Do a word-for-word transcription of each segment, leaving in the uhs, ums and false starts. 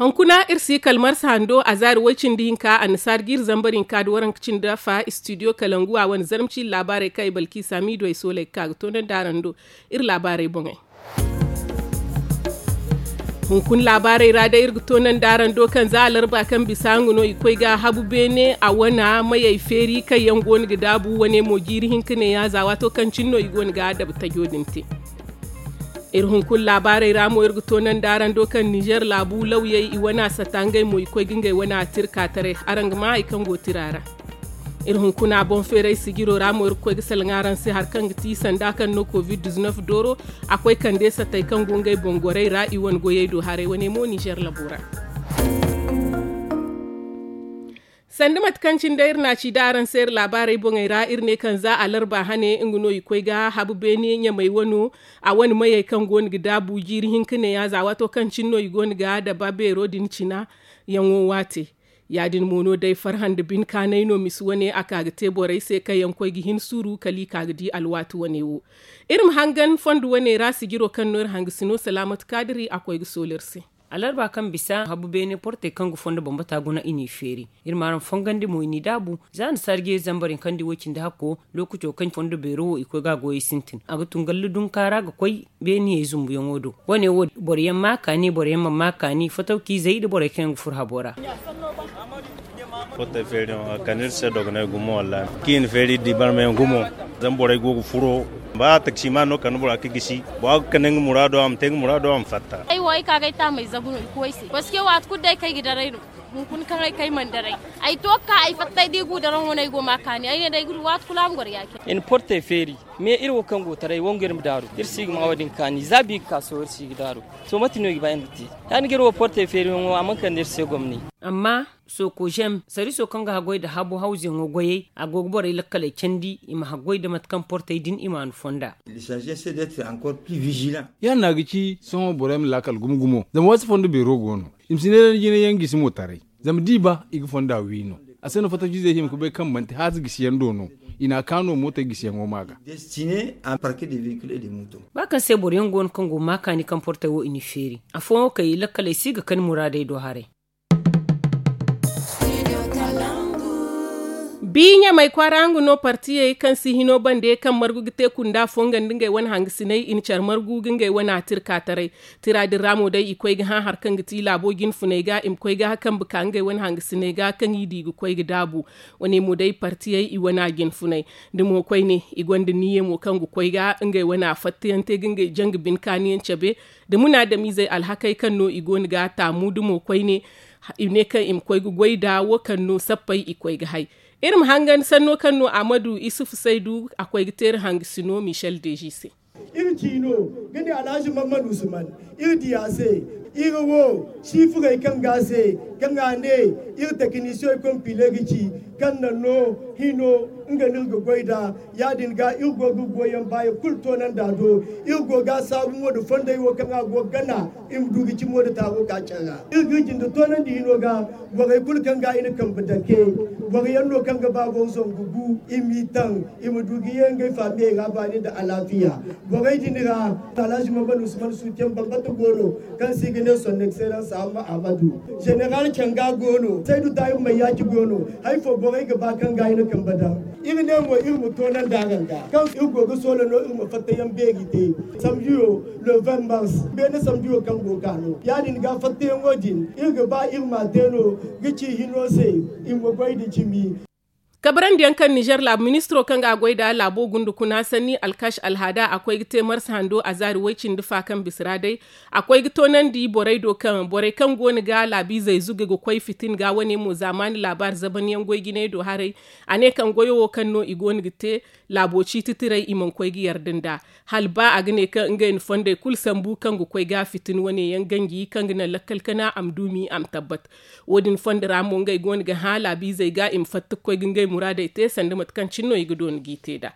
Hunkuna iri si kala marsa hando a zaari way-cindi hinka annasaari ga iri zambar hinka nda waranka cindi afa istidiyo kalangu a wane zarma ciiri laabaarey kaŋ ay balki saamiido ay sooley ga ka ga toonandi araŋ do. Iri laabaarey boŋey. Hunkuna laabaarey ra day iri ga toonandi araŋ do kaŋ za alarba kaŋ bisa nga no i koy ga habu beene a wana mayey feeri kaŋ yaŋ go no ga daabu wane mo jiiri hinka neeya za waato kaŋ cine no i go no ga dabu tajo din te. Iri hunkuna laabaarey ra mo iri ga toonandi araŋ do kaŋ ninzeer laabu lawyey i wana sata ngey mo i koy ga ngey wana tirka taray. Araŋ ga maa hari kaŋ go tira ra. Iri hunkuna boŋ feeray sijiro ra mo iri ga koy ga salaŋ araŋ se hari kaŋ ga ti sanda kaŋ no covid diznef dooro a koy kande satey kaŋ go ngey boŋ gorey ra i wane goyey do haray wane mo ninzeer labo ra. Sanda mate kaŋ cine day iri na a ci da araŋ se iri laabaarey boŋey ra iri ne kaŋ za alarba hane nga no i koy ga habu beene ɲamey wano a wane mayey kaŋ go no ga daabu jiiri hinka neeya za waato kaŋ cine no i go no ga daba beero din cina yaŋo waate. Ya- din mo no day farhã nda binkaanay no misi wane a ka ga te borey se kaŋ yaŋ koy ga hin suuru kala i ka ga di alwaati wane wo. Iri ma hangan fondo wane ra sijiro kaŋ no iri hangasino salaamat kaadiri a koy ga soolu iri se. Alarba kaŋ bisa habu beene portey kaŋ ga fondo bambata guna i n'i feeri. Iri ma araŋ fongandi mo i n'i daabu za nda saari jeeri zambar hinka nda i way-cindi hakko lookaco kaŋ fondo beero wo i koy ga a goyey sintin a ga tun gallu dunka ra ga koy beeniyey zumbuyaŋo do. Wane wo boro yaŋ ma a kaani boro yaŋ mana ma a kaani fatawkiizey nda borey kaŋ yaŋ ga furo habo ra. Portey feeriyaŋo a kande iri se dogonay gumo wallaahi kaŋ i na feeri di barmayaŋ gumo. Zama borey go ga furo ba taksimaan no kande bora ga gisi bora ga kande nga muraado a ma te nga muraado a ma fatta. Ay wo ay ka ga ay taamey zabu no i koy ay se parce que waati kulu day kaŋ ay ga daray no. Hunkuna kaŋ ay kay mana daray ay to ga ka ay fattay da i gu daraŋ wane ay go ma a kaani ay ne day ay ga du waati kulu a ma goro ya- cine. I na portey feeri mais iri wo kaŋ go taray wangu iri ma daaru iri si ga ma wo- din kaani za bi ga ka sohõ iri si ga daaru. To mate no i ga ba iri ma te ya- din ga iri wo portey feeriyaŋo a mana kande iri se gomni. Amma sokozem sariiso kaŋ ga haggoy nda habu hawzuyaŋo goyey a go ga borey lakkaley candi i ma haggoy nda mate kaŋ portey din i ma a na fonda. Ya- din no a ga ci sohõ borey ma laakal gumo gumo zama waati fondo beero go no i ma si ne da ni jine yaŋ gisi mo taray. Zama da i ba i ga fonda wi no a se no fattaciizey hima ga bay kaŋ manti haaza gisiyaŋ do no i na a kaano mootey gisiyaŋo ma ga. Ba kaŋ se boro yaŋ go no kaŋ go ga ma kaani kaŋ portey wo i n'i feeri afooyaŋ wo kaŋ i lakkaley si ga kani muraadey do haray. Bi ɲamey kwaara nga no partiyey kaŋ si hino bande kaŋ margu ga te kunda fo nga nda ngey wane hangasiney i na care margu ga ngey wane atirka taray. Tira din ra mo day i koy ga hã hari kaŋ ga ti laabo jinfuney ga i ma koy ga kambe ka ngey wane hangasiney ga kaŋ i di ga koy ga daabu. Wane mo day partiyey i wane a jinfuney da mo koyne i gonda niyyey mo kaŋ ga koy ga ngey wane a fattayaŋ te ga ngey janga bine kaaniyaŋ cabe da munaadamizey alhakey kaŋ no i go no ga taamu da mo koyne. I ne kaŋ i ma koy ga goy nda wo kaŋ no sappey i koy ga hay. Iri ma hangan sanno kaŋ no ahmadu isufu saydu a koy ga te iri hangasino michel deji se. Iri ciino ga ne alhaji mamman usman iri diya se. Iri wo sifurey kaŋ ga se kaŋ a ne iri tekinisiyoŋ konpile ga ci kaŋ na no hino nga no iri ga goy nd'a. Ya- din ga iri go ga goyyaŋ baayaŋ kulu toonandi a do. Iri go ga a saabu mo nda fondey wo kaŋ a go ga gana i ma du ga cimo nda taaro ka care ra. Iri ga iri jinde toonandi hino ga borey kulu kaŋ ga i na kambe dake boro yaŋ no kaŋ ga ba boro zangu gu i m'i taŋ i ma du ga ye ngey faamiyey ra baani nda alaafiya. Borey din ra alhaji mamman usman suuteyaŋ bambata go no kaŋ se i ga ne son excellence amma ahmadu. Zeneral canga go no saydu taahir mayyaaci go no. Hari fo borey ga ba kaŋ ga i na kambe daŋ. Iri ne mo iri ma toonandi araŋ ga kaŋ iri go ga soola no iri ma fattayaŋ beeri te. Samjiyo le vingt mars beene samjiyo kaŋ go ga no ya- din ga fattayaŋo din iri ga ba iri m'a te no ga ci hino se. Iri ma goy nda cimi. Kabarandiyaŋ kaŋ nizer laabu ministiro kaŋ ga a goy nd'a laabo gunda kuna sanni alkash alhaada a koy ga te marsa hando a zaari way-cindi fa kaŋ bisa ra day. A koy ga toonandi borey do kaŋ borey kaŋ go no ga laabiizey zuge ga koy fitin ga wane mo zaamaani laabaari zabanyaŋ goy jinay do haray. A ne kaŋ goyo wo kaŋ no i go no ga te laabo ciiti tiray i mana koy ga yarda nd'a. Hala ba a ga ne kaŋ ngey na fondey kulu sambu kaŋ ga koy ga fitin wane yaŋ ganji kaŋ ga naŋ lakkal kana a ma duumi a ma tabbat. Wo- din fondo ra mo ngey go no ga hã laabiizey ga i ma fatta ga koy ga ngey muraadey te sanda mate kaŋ cine no i ga doona g'i te nd'a.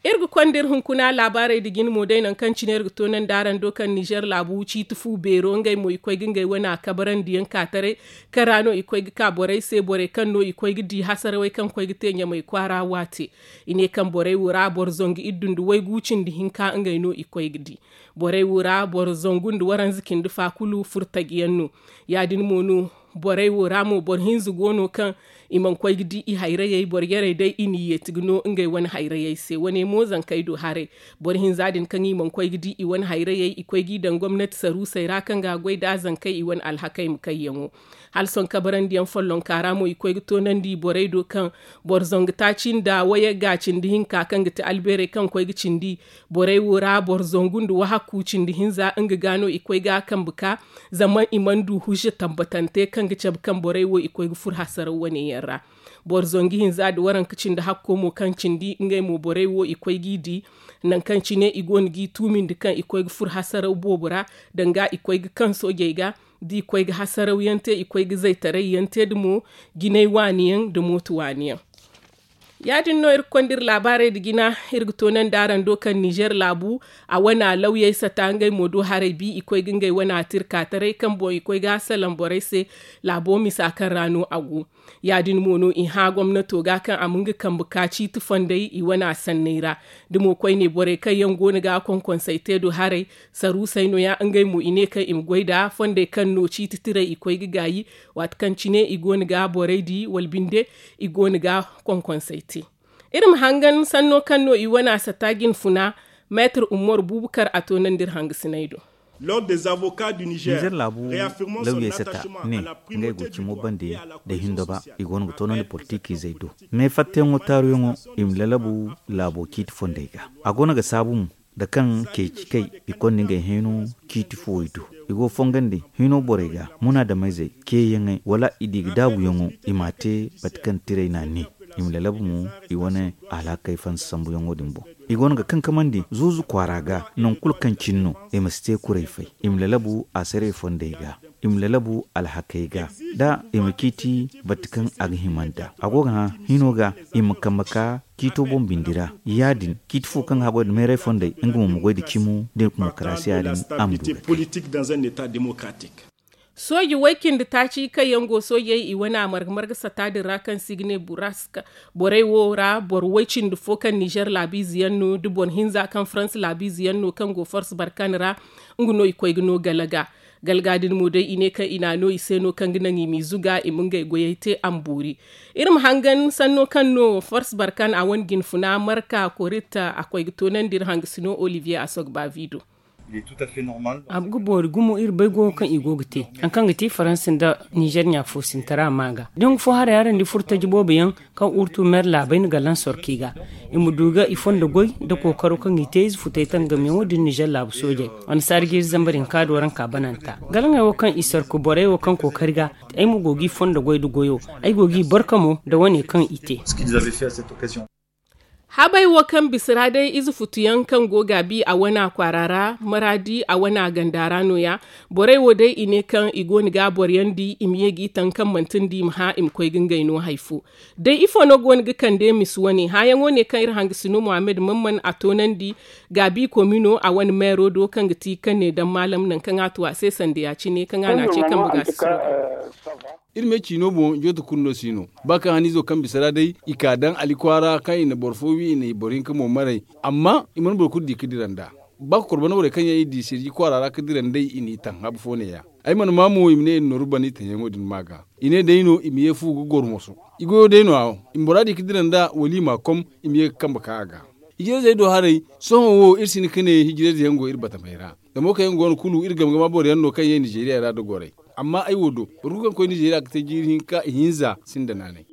Iri ga konda iri hunkuna laabaarey da jine mo day nangu kaŋ cine iri ga toonandi araŋ do kaŋ nizer laabu ciiti fu beero ngey mo i koy ga ngey wane a kabarandiyaŋ ka taray kaŋ ra no i koy ga ka borey se borey kaŋ no i koy ga di hasarawey kaŋ koy ga te ɲamay kwaara waate. I ne kaŋ borey wo ra boro zangu iddu nda waygu cindi hinka ngey no i koy ga di. Borey wo ra boro zangu nda waranza cindi fa kulu furtajiyaŋ no. Ya- din mo no borey wo ra mo boro hinza go no kaŋ i mana koy ga di i hayrayey boro yarey day i n'i yeeti ga no ngey wane hayrayey se wane mo zankey do haray. Boro hinza din kaŋ i mana koy ga di i wane hayrayey i koy g'i daŋ gomnati saruusey ra kaŋ ga a goy nd'a zankey i wane alhakey ma kayyaŋo. Hala sohõ kabarandiyaŋ follonka ra mo i koy ga toonandi borey do kaŋ boro zangu taaci nda wayagga cindi hinka kaŋ ga ti albeerey kaŋ koy ga cindi borey wo ra boro zangu nda wahakku cindi hinza nga ga no i koy ga a kambe ka. Zama i mana du hujja tambatante kaŋ ga cabe kaŋ borey wo i koy ga furo hasaraw wane yaŋ ra. Boro zangu hinza nda waranka cindi hakko mo kaŋ cindi ngey mo borey wo i koy g'i di. Nangu kaŋ cine i go no g'i tuumindi kaŋ i koy ga furo hasaraw boobo ra danga i koy ga kaŋ soojey ga da i koy ga hasarawyaŋ te i koy ga zaytarayyaŋ te da mo jinay waani yaŋ nda mooto waani yaŋ. Ya- din no iri ga konda iri laabaarey nda jina. Iri ga toonandi araŋ do kaŋ nizer laabu a wane lawyey sata ngey mo do haray bi i koy ga ngey wane a tirka taray kaŋ boŋ i koy ga a salaŋ borey se. Laabo misa kaŋ ra no a go. Ya- din mo no i hã gomnato ga kaŋ a ma nga kambe ka ciiti fondey i wane a sanney ra. Da mo koyne borey kaŋ yaŋ go no ga konkonsey te do haray saruusey no- ya ngey mo i ne kaŋ i ma goy nd'a fondey kaŋ no ciiti tiray i koy ga gaayi. Waati kaŋ cine i go no ga borey di wala binde i go no ga konkonsey te. Iri ma hangan sanno kaŋ no i wane a sata jinfuna. Meetar umaru buubakar a toonandi iri hangasiney do. Nizer laabu lawyey sata ne ngey go cimo bande da hindo ba i go no ga toonandi politikiizey do. Me fattayaŋo taaruyaŋo i ma lalabu laabo ciiti fondey ga. A go no ga saabu mo da kaŋ ceeci kay i konda ngey hino ciiti fuwey do. I go fongandi hino borey ga munaadameyzey ceeyaŋey wala i di ga daabuyaŋo i m'a te mate kaŋ tiray n'a ne. I ma lalabu mo i wane alhakey fansa sambuyaŋo din boŋ. I go no ga kankamandi zuuzu kwaara ga nangu kulu kaŋ cine no i ma si te kuray fay. I ma lalabu asaray fondey ga i ma lalabu alhakey ga da i ma ciiti bate kaŋ a ga hima nd'a a go ga hã hino ga i ma kambe ka ciito boŋ bindi ra. Ya- din ciiti fo kaŋ ga haggoy nda meeray fondey nga mo ma goy nda cimo da demokarasiya din a ma du ga te. Sooji way-cindi taaci kaŋ yaŋ go soojey i wane a marga-marga sata din ra kaŋ se i ga ne buraska. Borey wo ra boro way-cindi fo kaŋ nizer laabiize yaŋ no da boro hinza kaŋ farans laabiize yaŋ no kaŋ go fors barkan ra. Nga no i koy ga no galaga. Galaga din mo day i ne kaŋ i n'a no i se no kaŋ ga naŋ i m'i zuga i ma ngey goyey te a ma boori. Iri ma hangan sanno kaŋ no fors barkan a wane jinfuna marka korit a koy ga toonandi iri hangasino olivier asogba vido. A ga boori gumo iri bay goyo kaŋ i go ga te hari kaŋ ga te faransa nda nizer ɲa fo sintara ma ga dangu fo haray araŋ di furtaji boobo yaŋ kaŋ urtu mer laabey na galaŋ sorki ga. I ma du ga i fondo goy nda kookaro kaŋ i te ize futey tangamiyaŋo din nizer laabu soojey. Wane saari jiiri zambar hinka do araŋ ka bananta galaŋey wo kaŋ i sorko borey wo kaŋ kookari ga. Ay mo go g'i fondo goy nda goyo. Ay go g'i barka mo nda wane kaŋ i te. Habey wo kaŋ bisa ra day ize futuyaŋ kaŋ go gaabi a wana kwaara ra maraadi a wana ganda ra no- ya. Borey wo day i ne kaŋ i go no ga a boroyaŋ di i ma ye g'i taŋ kaŋ manti nda i ma hã i ma koy ga ngey no hari fo. Day ifo no go no ga kande misa wane hãyaŋo ne kaŋ iri hangasino muhammad mamman a toonandi. Gaabi komino a wane meero do kaŋ ga ti kaŋ ne daŋ maalam nangu kaŋ a tu a se sanda ya- cine kaŋ a na a ce kambe ga si sooda. Iri me ciino boŋ jooto kulu no si no. Ba kaŋ haniizo kaŋ bisa ra day i ka daŋ ali kwaara kaŋ i na boro fo wi i na i boro hinka mo maray. Amma i mana boro kulu di ka dira nd'a. Ba ka koro bana borey kaŋ yaŋ i di sirji kwaara ra ka dira nd'ey i n'i taŋ habu fo neeya. Ay mana maa mo i ma ne i na nooru bana i taŋyaŋo din ma ga. I ne day no i ma ye fu ga goro moso. I goyo day no- ya i ma bora di ka dira nd'a wala i m'a kom. I ma ye ga kambe ka a ga. Hijirayzey do haray. Sohõ wo iri si hin ka ne hijirayze yaŋ go iri batamey ra. Zama wo kaŋ yaŋ go no kulu iri game game boroyaŋ no kaŋ ye nizeriya ra nda gorey. Amma ay wo do boro kulu kaŋ koy nizeriya ga te jiiri hinka ihinza sinda naanay.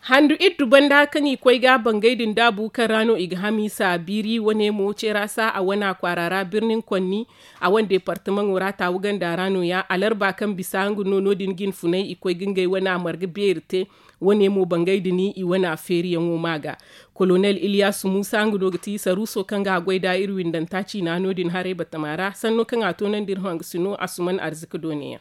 Handu iddu banda kaŋ i koy ga bangay din daabu kaŋ ra no i ga hamiisa biiri wane mo ceera sa a wana kwaara ra birnin konni. A wane departamaŋo ra taawu ganda ra no- ya alarba kaŋ bisa nga no no- din ga hin funay i koy ga ngey wane a marga beeri te. Wane mo bangay din i wane a feeriyaŋo ma ga. Kolonel iliyasu muusa nga no ga ti saruuso kaŋ ga a goy nd'a iri windanta ciina no- din haray batama ra sanno kaŋ a toonandi iri hanga si no asuman arzika doone yaŋ.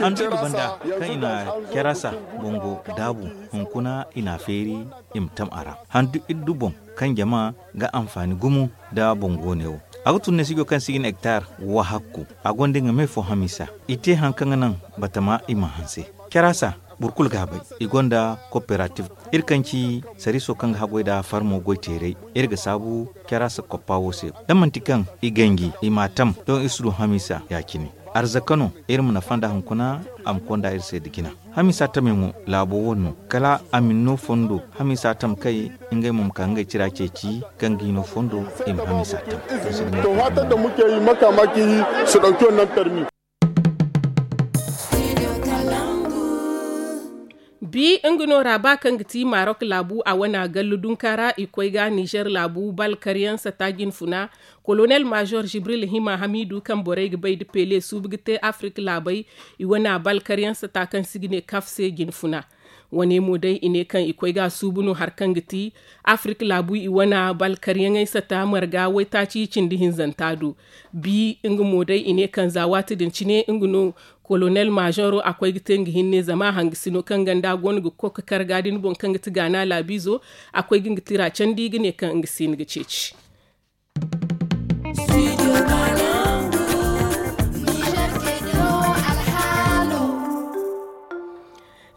Handu iddu banda kaŋ i na carasa bongo daabu, hunkuna i na a feeri i ma tam a ra. Handu iddu boŋ kaŋ jama ga anfaani gumo nda bongo ne wo, a ga tun ne sijo kaŋ si ga ne hektar wahakku. A gonda nga me fo hamisa. I te hari kaŋ ga naŋ batama i ma hanse carasa. Boro kulu ga a bay. I gonda kooperatif. Iri kaŋ ci sariiso kaŋ ga haggoy nda farmo goy teeray, iri ga saabu carasa koppa wo se. Da manti kaŋ i ganji i m'a tam, doŋ iri si du hamisa ya- cine. Arzaka no iri ma nafa nda hunkuna. A ma konda iri se nda jina. Hamisa tamey mo laabo wane no. Kala a ma ni no fondo. Hamisa tam kay ngey mo ma ka ngey tira ceeci kaŋ ga i no fondo. I ma hamisa tam. To, fatan da muke yi makamaki su ɗauki wannan tarmi. Bi nga no ra ba kaŋ ga ti marok laabu a wana gallu dunka ra i koy ga nizer laabu bal karyaŋ sata jinfuna. Kolonel major jibril hima hamidu kaŋ borey ga bay da pele suubu ga te afrik laabey. I wana bal karyaŋ sata kaŋ si ga ne kaf se jinfuna. Wane mo day i ne kaŋ i koy ga suubu no hari kaŋ ga ti afrik laabu i wana bal karyaŋey sata marga waytaaci cindi hinzanta do. Bi nga mo day i ne kaŋ za waati din cine nga no kolonel majoro a koy ga te nga hinne zama hangasino kaŋ ganda go no ga koy ga kar ga din boŋ kaŋ ga ti gaana laabiizo. A koy ga nga tira candi ga ne kaŋ nga si ni ga ceeci.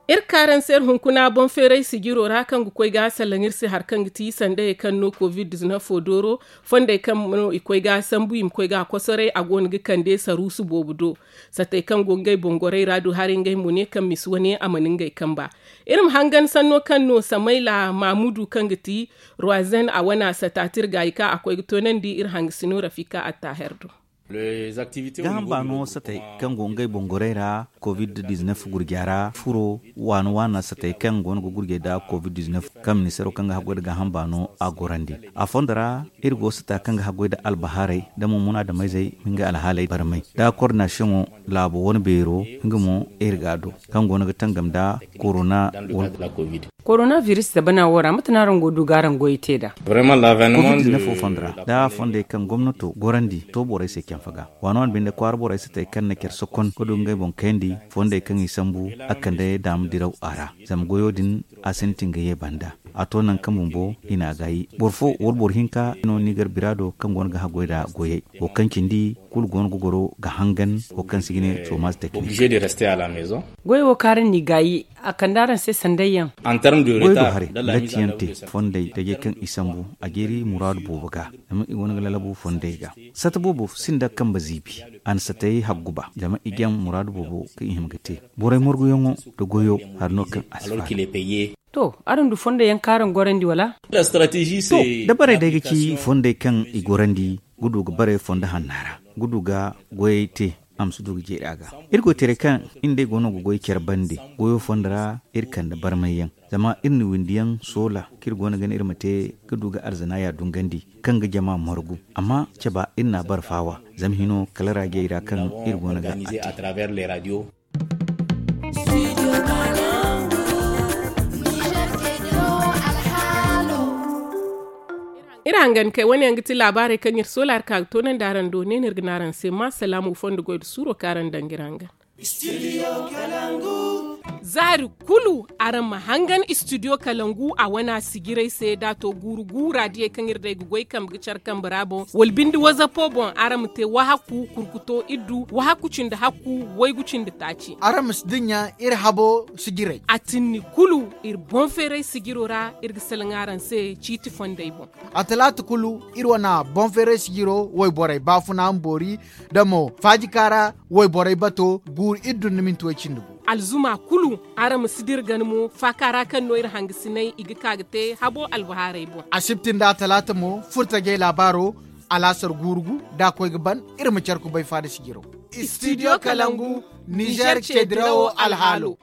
Iri kaaranse iri hunkuna boŋ feeray sijiro ra kaŋ ga koy ga salaŋ iri se hari kaŋ ga ti sandayey kaŋ no covid diznafo dooro. Fondey kaŋ no i koy ga sambu i ma koy ga kosoray a go no ga kande saruusu boobo do. Satey kaŋ go ngey boŋ gorey ra du haray ngey mo ne kaŋ misi wane a mana ngey kamba. Iri ma hangan sanno kaŋ no samayla mamudu kaŋ ga ti ruwazen a wana sata tirga i ka a koy ga toonandi iri hangasino rafika attaher do. Gaaham baano satey kaŋ go ngey boŋ gorey ra covid diznaf gurja ra furo waana waana satey kaŋ go no ga gurjey nda covid diznaf kaŋ ministeero kaŋ ga haggoy nda gaaham baano a gorandi. A fondo ra iri go sata kaŋ ga haggoy nda albahaarey nda mo munaadamayzey ma ngey alhaaley barmay nda kordinasiyoŋo laabo wane beero. Nga mo iri ga a do kaŋ go no ga tangam nda korona wala. Koronabiris zabana wo ra mate no araŋ go du ga araŋ goyey te nd'a? Covid diznaf wo fondo ra nda fondey kaŋ gomnato gorandi to borey se canfa ga waana waana binde kwaara borey satey kaŋ na care sokon ga du ngey boŋ kayandi. Fondey kaŋ i sambu a kande daama diraw a ra. Zama goyo din a sintin ga ye banda a to nangu kaŋ bumbo i n'a gaayi boro fo wala boro hinka no nigar bira do kaŋ go no ga haggoy nda goyey wo kaŋ cindi kulu go no ga goro ga hangan wo kaŋ se i ga ne somaaz teknik. Goyey wo kaŋ araŋ n'i gaayi a kande araŋ se sandayyaŋ. Goy do haray latiyaŋ te fondey tajey kaŋ i sambu a jeeri muraadu boobo ga. Zama i go no ga lalabu fondey ga sata boobo sinda kambe ziibi. A na satey haggu ba zama i jaŋ muraadu boobo kaŋ i hima ga te. Borey morguyaŋo nda goyo hari no kaŋ a si faala. To araŋ du fondo yaŋ kaŋ araŋ gorandi wala? To da barey day ga ci fondey kaŋ i gorandi ga du ga barey fondo hanna ra ga du ga goyey te. A ma si du ga jeeri a ga iri goytaray kaŋ iri nd'ey go no ga goy care bande goyo fondo ra. Iri kande barmay yaŋ zama iri na windi yaŋ soola kaŋ iri go no ga ne iri ma te ga du ga arzana ya dungandi kaŋ ga jama margu. Amma caba iri n'a bare faawa zama hino kala raajey ra kaŋ iri go no ga a te. Iri hangan kay wane yaŋ ga ti laabaarey kaŋ iri soola iri ka ga toonandi araŋ do ne no iri ga ne araŋ se ma salaamu fondo goy nda suuro kaŋ araŋ daŋ ga iri hangan. Zaari kulu araŋ ma hangan istidiyo kalangu a wana sijirey se da to guuru guura diyey kaŋ iri day ga goy kambe ga care kambe ra boŋ wala binde wazapo boŋ araŋ ma te wahakku kurkuto iddu wahakku cindi hakku waygu cindi taaci. Araŋ ma si dinya iri habo sijirey a tinni kulu iri boŋ feeray sijiro ra iri ga salaŋ araŋ se ciiti fondey boŋ. A talaata kulu iri wana boŋ feeray sijiro wayborey baafuna ma boori da mo faajika ra wayborey bato guuru iddu nda minti way cindi gu. Alzuma kulu araŋ ma si dira gana mo faaka ra kaŋ no iri hangasinay i ga ka ga te habo albahaarey boŋ. Asibti nda talaata mo furtajey laabaaro alaasar guuru gu da a koy ga ban. Iri ma care kubay faada sijiro. Istidiyo kalangu nizer ceedirawo alhaalo.